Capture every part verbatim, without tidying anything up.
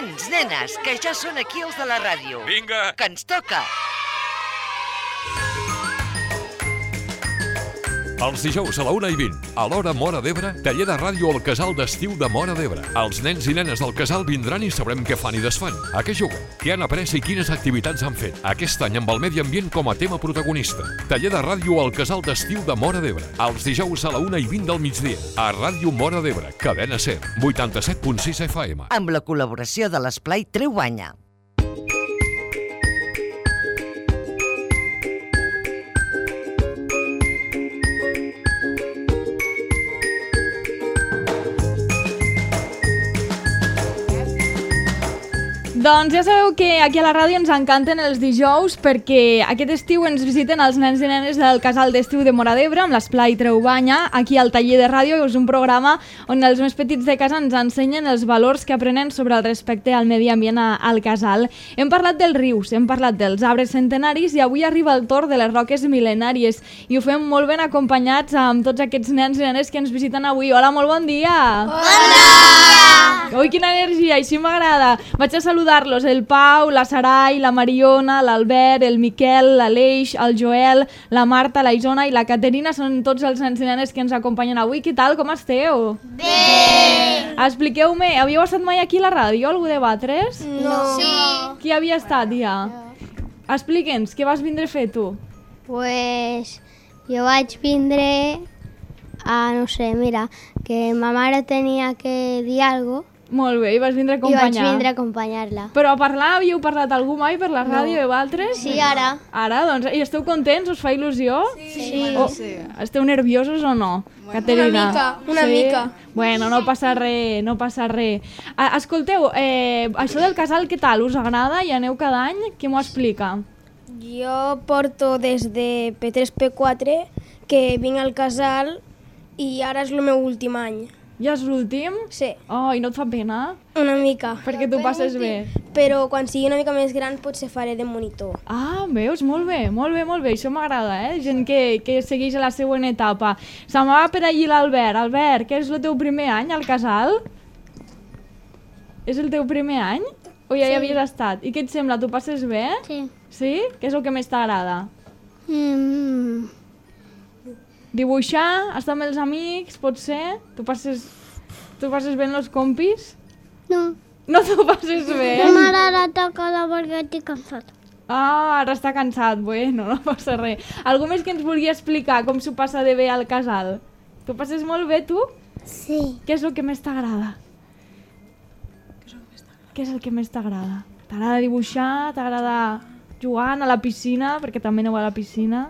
Nens, nenes, que ja són aquí els de la ràdio. Vinga! Que ens toca! Els dijous a la una i vint, a l'hora Móra d'Ebre, taller de ràdio al casal d'estiu de Móra d'Ebre. Els nens i nenes del casal vindran i sabrem què fan i desfan, a què juguen, què han après i quines activitats han fet. Aquest any amb el medi ambient com a tema protagonista. Taller de ràdio al casal d'estiu de Móra d'Ebre. Els dijous a la una i vint del migdia, a Ràdio Móra d'Ebre, cadena SER, vuitanta-set punt sis F M. Amb la col·laboració de l'Esplai Treu Banya. Doncs ja sabeu que aquí a la ràdio ens encanten els dijous perquè aquest estiu ens visiten els nens i nenes del casal d'estiu de Móra d'Ebre amb l'Esplai Treu Banya, aquí al taller de ràdio, que és un programa on els més petits de casa ens ensenyen els valors que aprenen sobre el respecte al medi ambient al casal. Hem parlat dels rius, hem parlat dels arbres centenaris i avui arriba el torn de les roques mil·lenàries i ho fem molt ben acompanyats amb tots aquests nens i nenes que ens visiten avui. Hola, molt bon dia! Hola! Ui, quina energia, així m'agrada. Vaig a saludar-los, el Pau, la Sarai, la Mariona, l'Albert, el Miquel, l'Aleix, el Joel, la Marta, la Isona i la Caterina. Són tots els nens i nenes que ens acompanyen avui. Què tal, com esteu? Bé! Expliqueu-me, havíeu estat mai aquí a la ràdio, algú de Batres? No. Sí. Qui havia estat ja? Explica'ns, què vas vindre a fer tu? Pues jo vaig vindre a, no sé, mira, que ma mare tenia que dir alguna cosa. Molt bé, i vas vindre a I vaig acompanyar. vindre a acompanyar-la. Però a parlar, havíeu parlat algú mai per la ràdio de Batres? Sí, ara. Ara, doncs, i esteu contents? Us fa il·lusió? Sí. O, esteu nerviosos o no, Caterina? Una mica, una sí? mica. Bueno, no passa res, no passa res. Ah, escolteu, eh, això del casal, què tal? Us agrada? Hi aneu cada any? Qui m'ho explica? Jo porto des de P tres P quatre que vinc al casal i ara és el meu últim any. Ja és l'últim? Sí, Oh, i no et fa pena? una mica. Perquè tu passes bé. Però quan sigui una mica més gran potser faré de monitor. Ah, veus? Molt bé, molt bé, molt bé. Això m'agrada, eh? Gent que, que segueix a la següent etapa. Se m'ha per allí l'Albert. Albert, què és el teu primer any al casal? És el teu primer any? O ja hi havies estat? I què et sembla? Tu passes bé? Sí. Sí? Què és el que més t'agrada? Mm. Dibuixar? Estar amb els amics? Potser? Tu passes, tu passes bé amb els compis? No. No t'ho passes bé? No m'agrada tocar perquè estic cansat. Ah, ara està cansat. Bueno, no passa res. Algú més que ens vulgui explicar com s'ho passa de bé al casal? Tu passes molt bé, tu? Sí. Què és el que més t'agrada? Què és el que més t'agrada? T'agrada dibuixar? T'agrada jugar, anar a la piscina? Perquè també aneu a la piscina.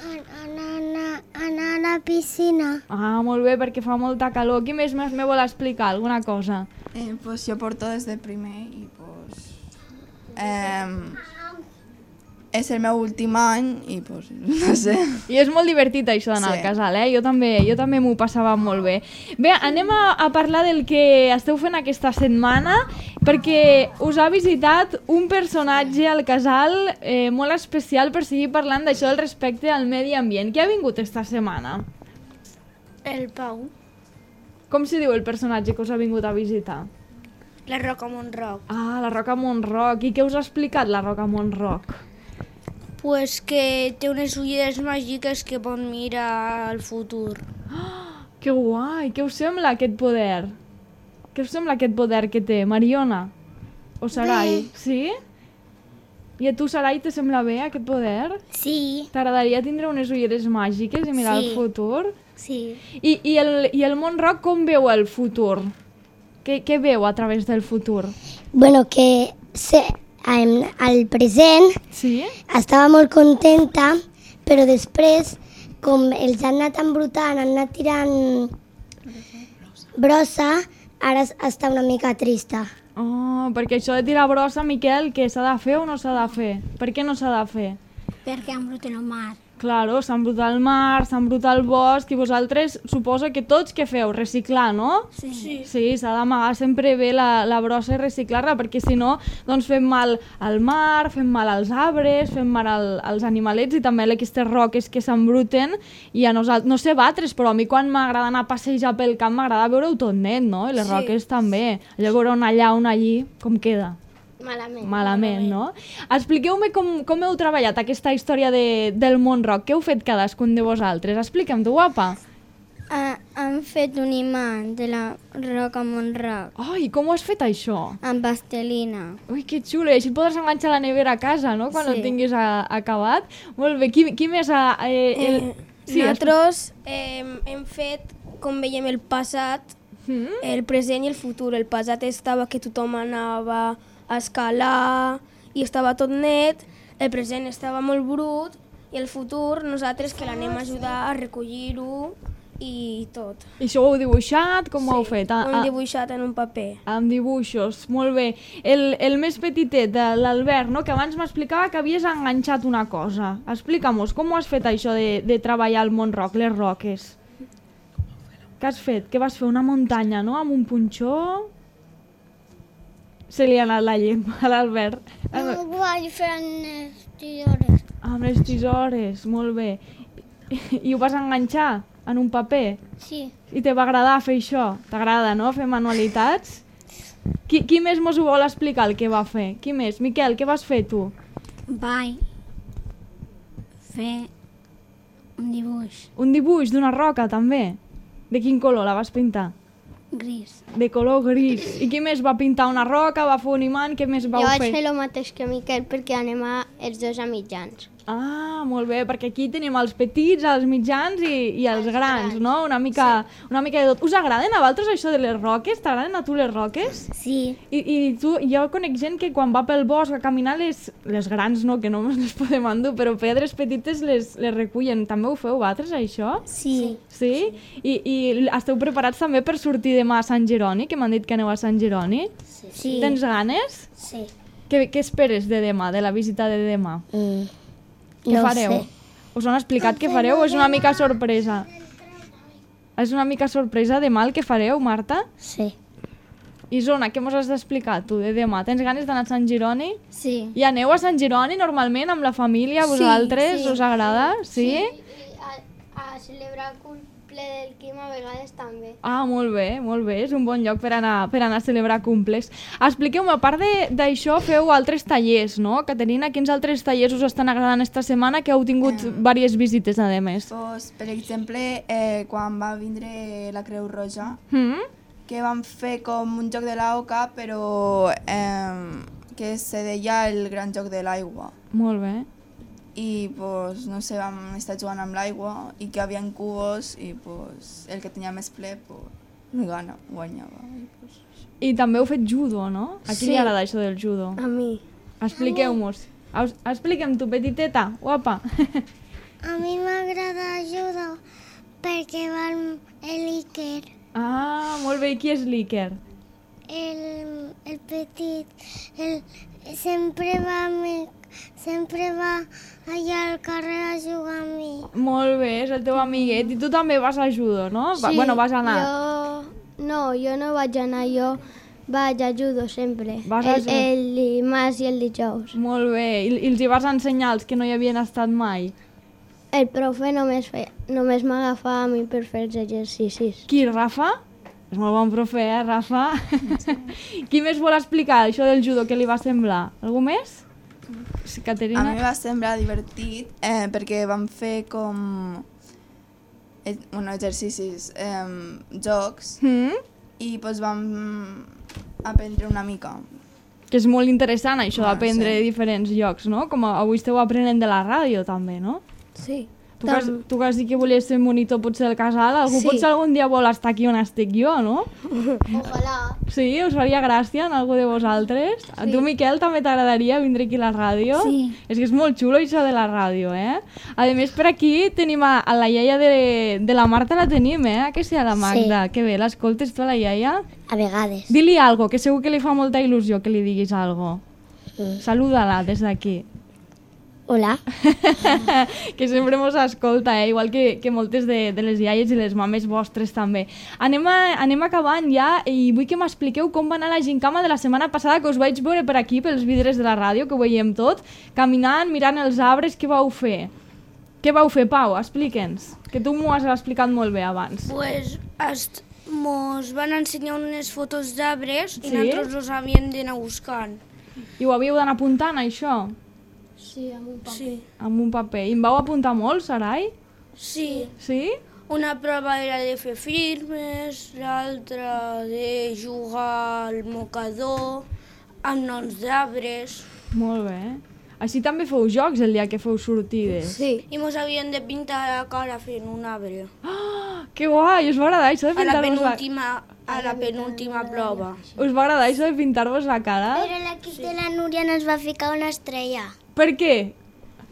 Anar, anar, anar a la piscina. Ah, molt bé, perquè fa molta calor. Qui més me vol explicar alguna cosa? Eh, pues yo porto desde primer y pues eh, és el meu últim any i pues no sé. I és molt divertit això d'anar Sí. al casal, eh? Jo també, jo també m'ho passava molt bé. Bé, anem a, a parlar del que esteu fent aquesta setmana, perquè us ha visitat un personatge al casal eh, molt especial per seguir parlant d'això del respecte al medi ambient. Qui ha vingut esta setmana? El Pau. Com se diu el personatge que us ha vingut a visitar? La Roca Montroc. Ah, la Roca Montroc. I què us ha explicat la Roca Montroc? Pues que té unes ulleres màgiques que pot mirar el futur. Que guai! Què us sembla aquest poder? Què us sembla aquest poder que té? Mariona? O Sarai? Sí? I a tu, Sarai, te sembla bé aquest poder? Sí. T'agradaria tindre unes ulleres màgiques i mirar Sí. el futur? Sí. I, i, el, I el Montroc com veu el futur? Què, què veu a través del futur? Bueno, que se, en, al present Sí? estava molt contenta, però després, com els han anat embrutant, han anat tirant brossa, ara es- està una mica trista. Oh, perquè això de tirar brossa, Miquel, què s'ha de fer o no s'ha de fer? Per què no s'ha de fer? Perquè embruten el mar. Claro, s'embruta el mar, s'embruta el bosc, i vosaltres suposo que tots què feu? Reciclar, no? Sí. Sí. Sí, s'ha d'amagar sempre bé la, la brossa i reciclar-la, perquè si no, doncs fem mal al mar, fem mal als arbres, fem mal al, als animalets i també a aquestes roques que s'embruten. I a nosaltres, no sé vosaltres, però a mi quan m'agrada anar a passejar pel camp m'agrada veure-ho tot net, no? I les Sí. roques també. Allò veure una allà, una allí, com queda? Malament. Malament, no? Expliqueu-me com, com heu treballat aquesta història de, del món rock. Què heu fet cadascun de vosaltres? Expliquem-t'ho, guapa. Uh, han fet un imant de la roca Montroc Ai, com ho has fet, això? amb pastelina. Ui, que xulo. I així et podràs enganxar a la nevera a casa, no?, quan Sí. ho tinguis a, acabat. Molt bé. Qui, qui més ha... Eh, el... Eh, Sí, nosaltres eh, hem fet, com veiem, el passat, Mm? el present i el futur. El passat estava que tothom anava a escalar i estava tot net, el present estava molt brut i el futur nosaltres que l'anem a ajudar a recollir-ho i tot. I això ho heu dibuixat? Com ho heu fet? Ho Ah, hem ah, dibuixat en un paper. amb dibuixos, molt bé. El, el més petitet, de l'Albert, no?, que abans m'explicava que havies enganxat una cosa. Explica-mos, com ho has fet això de, de treballar al món rock, les roques? Què has fet? Què vas fer? Una muntanya, no?, amb un punxó? Se li ha anat la llengua a l'Albert. Ho vaig fer en les tisores. Amb les tisores, molt bé. I ho vas enganxar en un paper? Sí. I te va agradar fer això? T'agrada, no?, fer manualitats? Qui, qui més mos ho vol explicar, el que va fer? Qui més? Miquel, què vas fer tu? Vaig fer un dibuix Un dibuix d'una roca, també? De quin color la vas pintar? gris. De color gris. I qui més va pintar una roca, va fer un imant, què més vau Jo vaig fer? fer el mateix que Miquel perquè anem a els dos a mitjans. Ah, molt bé, perquè aquí tenim els petits, els mitjans i, i els grans, no? Una mica, una mica de tot. Us agraden a vosaltres això de les roques? T'agraden a tu les roques? Sí. I, i tu, jo conec gent que quan va pel bosc a caminar, les, les grans no, que no ens les podem endur, però pedres petites les, les recullen. També ho feu vosaltres, això? Sí. Sí? I, I esteu preparats també per sortir demà a Sant Jeroni, que m'han dit que aneu a Sant Jeroni? Sí. Tens ganes? Sí. Què, què esperes de demà, de la visita de demà? Mm. Què No fareu? sé. Us han explicat què fareu o és una mica sorpresa? És una mica sorpresa demà el que fareu, Marta? Sí. Isona, què mos has d'explicar tu de demà? Tens ganes d'anar a Sant Jeroni? Sí. I aneu a Sant Jeroni normalment amb la família, vosaltres? sí. Us agrada? Sí? A, a celebrar el cumple del Quim a vegades també. Ah, molt bé, molt bé. És un bon lloc per anar, per anar a celebrar cumples. Expliqueu-me, a part de- d'això, feu altres tallers, no? Caterina, quins altres tallers us estan agradant esta setmana que heu tingut Em. diverses visites, a més? Pues, per exemple, eh, quan va vindre la Creu Roja, Mm? que vam fer com un joc de l'auca, però eh, que se deia el gran joc de l'aigua. Molt bé. I pues, no sé, vam estar jugant amb l'aigua i que hi havia cubos i pues, el que tenia més ple pues, gana, guanyava. I, pues, I també heu fet judo, no? A qui Sí. li agrada això del judo? A mi. Expliqueu-mos. Aus- Expliquem tu, petiteta, guapa. A mi m'agrada judo perquè va el, el Iker, Ah, molt bé. I qui és l'Iker? el, el petit, el, sempre va, mi, sempre va allà al carrer a jugar amb mi. Molt bé, és el teu amiguet. I tu també vas a judo, no? Va, bueno, vas anar. Jo... No, jo no vaig anar, jo vaig a judo sempre. Vas a el, judo. el dimarts i el dijous. Molt bé. I, I els hi vas ensenyar els que no hi havien estat mai? El profe només, feia, només m'agafava a mi per fer els exercicis. Qui, Rafa? És molt bon profe, eh, Rafa? Qui més vol explicar això del judo, què li va semblar? Algú més? Sí, a Caterina? mi va semblar divertit eh, perquè vam fer com eh, bueno, exercicis, eh, jocs Mm? i pues, vam aprendre una mica. Que és molt interessant això Ah, d'aprendre sí. diferents llocs, no? Com avui esteu aprenent de la ràdio també, no? Sí. Tu que, has, tu que has dit que volies ser monitor potser del casal, algú Sí. potser algun dia vol estar aquí on estic jo, no? Ojalà. Sí? Us faria gràcia en algú de vosaltres? A tu, Miquel, també t'agradaria vindre aquí a la ràdio? Sí. És que és molt xulo això de la ràdio, eh? A més, per aquí tenim a, a la iaia de, de la Marta, la tenim, eh? Que sigui la Magda. Que bé, l'escoltes tu a la iaia? A vegades. Dili algo, que segur que li fa molta il·lusió que li diguis algo. Mm. Saluda-la des d'aquí. Hola. Que sempre mos escolta, eh? Igual que, que moltes de, de les iaies i les mames vostres també. Anem, a, anem acabant ja i vull que m'expliqueu com va anar la gincama de la setmana passada, que us vaig veure per aquí, pels vidres de la ràdio, que ho veiem tot, caminant, mirant els arbres. Què vau fer? Què vau fer, Pau? Explica'ns, que tu m'ho has explicat molt bé abans. Pues est, mos van ensenyar unes fotos d'arbres Sí? i nosaltres els havíem d'anar buscant. I ho havíeu d'anar apuntant, això? Sí, amb un paper. Sí. Amb un paper. I em vau apuntar molt, Sarai? Sí. Sí? Una prova era de fer firmes, l'altra de jugar al mocador, amb noms d'arbres. Molt bé. Així també feu jocs el dia que feu sortides. Sí. I mos havien de pintar la cara fent un arbre. Oh, que guai! Us va agradar això de A la pintar-vos la... penúltima, a la penúltima prova. Us va agradar això de pintar-vos la cara? Però l'equip de la Núria no es va ficar una estrella, Per què?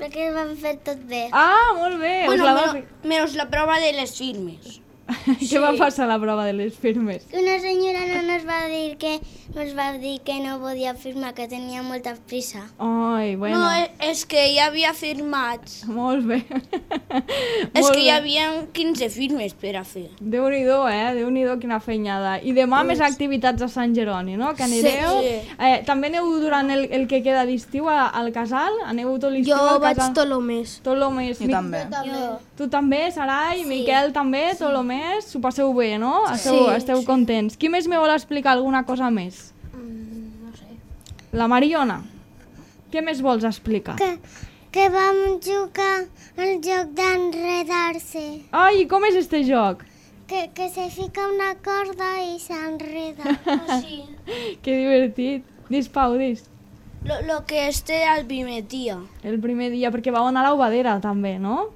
perquè ho van fer tot bé. Ah, molt bé! Bueno, us la va... menos, menos la prova de les firmes. Què va passar a la prova de les firmes? Una senyora no nos va dir que nos va dir que no podia firmar, que tenia molta prisa. Ai, bueno. No, és, és que ja havia firmats. Molt bé. És Molt que hi bé. havia quinze firmes per a fer. Déu-n'hi-do, eh? Déu-n'hi-do, quina feinada. I demà més activitats a Sant Jeroni, no? Que anireu... Sí. Eh, també aneu durant el, el que queda d'estiu a- al casal? Aneu tot l'estiu Jo al vaig casal? tot el mes. Tot el mes. Jo també. Tu també, Sarai, Miquel també, tot el mes. S'ho passeu bé, no? Esteu, Sí. esteu contents. Qui més me vol explicar alguna cosa més? No sé. La Mariona. Què més vols explicar? Que, que vam jugar al joc d'enredar-se. Ai, com és este joc? Que, que se fica una corda i s'enreda. Sí. Que divertit. Dis, Pau, dis. Lo, lo que este al primer dia. El primer dia, perquè vau anar a l'Obadera també, no?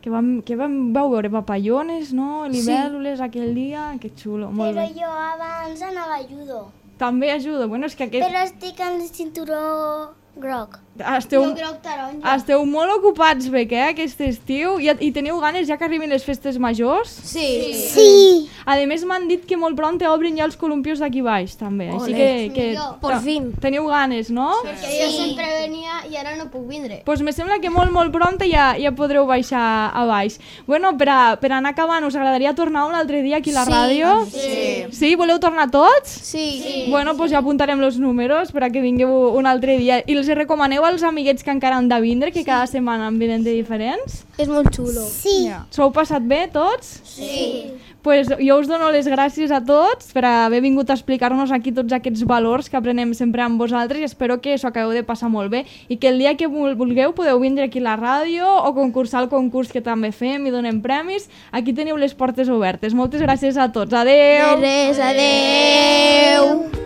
Que vam, que vam, vau veure papallones, no? Libèl·lules aquell dia, que xulo, molt Però bé. jo abans anava a judo. També ajuda, bueno, és que aquest... Però estic en el cinturó groc. Esteu, Jo groc taronja. esteu molt ocupats, Bec, eh, aquest estiu. I, I teniu ganes ja que arribin les festes majors? Sí. Sí. A més, m'han dit que molt pront obrin ja els columpios d'aquí baix, també. Així que... que Por fin. Teniu ganes, no? Perquè jo sempre venia i ara no puc vindre. Doncs pues me sembla que molt, molt pront ja, ja podreu baixar a baix. Bueno, per, a, per anar acabant, us agradaria tornar un altre dia aquí a la ràdio? Sí. Sí? Voleu tornar tots? Sí. sí. Bueno, doncs pues ja apuntarem els números per a que vingueu un altre dia. I els recomaneu als amiguets que encara han de vindre, que cada setmana en venen de diferents? És molt xulo. Sí. S'ho heu passat bé, tots? Sí. Pues jo us dono les gràcies a tots per haver vingut a explicar-nos aquí tots aquests valors que aprenem sempre amb vosaltres i espero que s'ho acabeu de passar molt bé i que el dia que vulgueu podeu vindre aquí a la ràdio o concursar al concurs que també fem i donem premis. Aquí teniu les portes obertes. Moltes gràcies a tots. Adeu! Res, adeu.